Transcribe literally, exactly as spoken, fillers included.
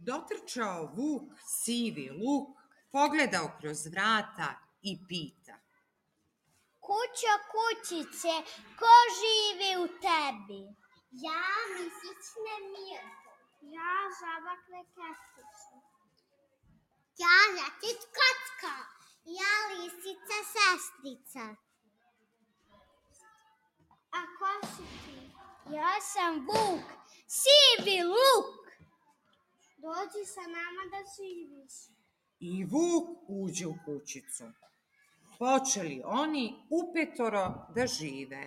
Dotrčao vuk sivi luk, pogledao kroz vrata i pita. Kućo, kućice, ko živi u tebi? Ja, misićne Mirko. Ja, žaba Kleketice. Ja, ljačić Kocka. Ja, lisica sestrica. A ko si ti? Ja sam vuk, sivi luk. Dođi sa nama da živiš. I vuk uđe u kućicu. Počeli oni upetoro da žive.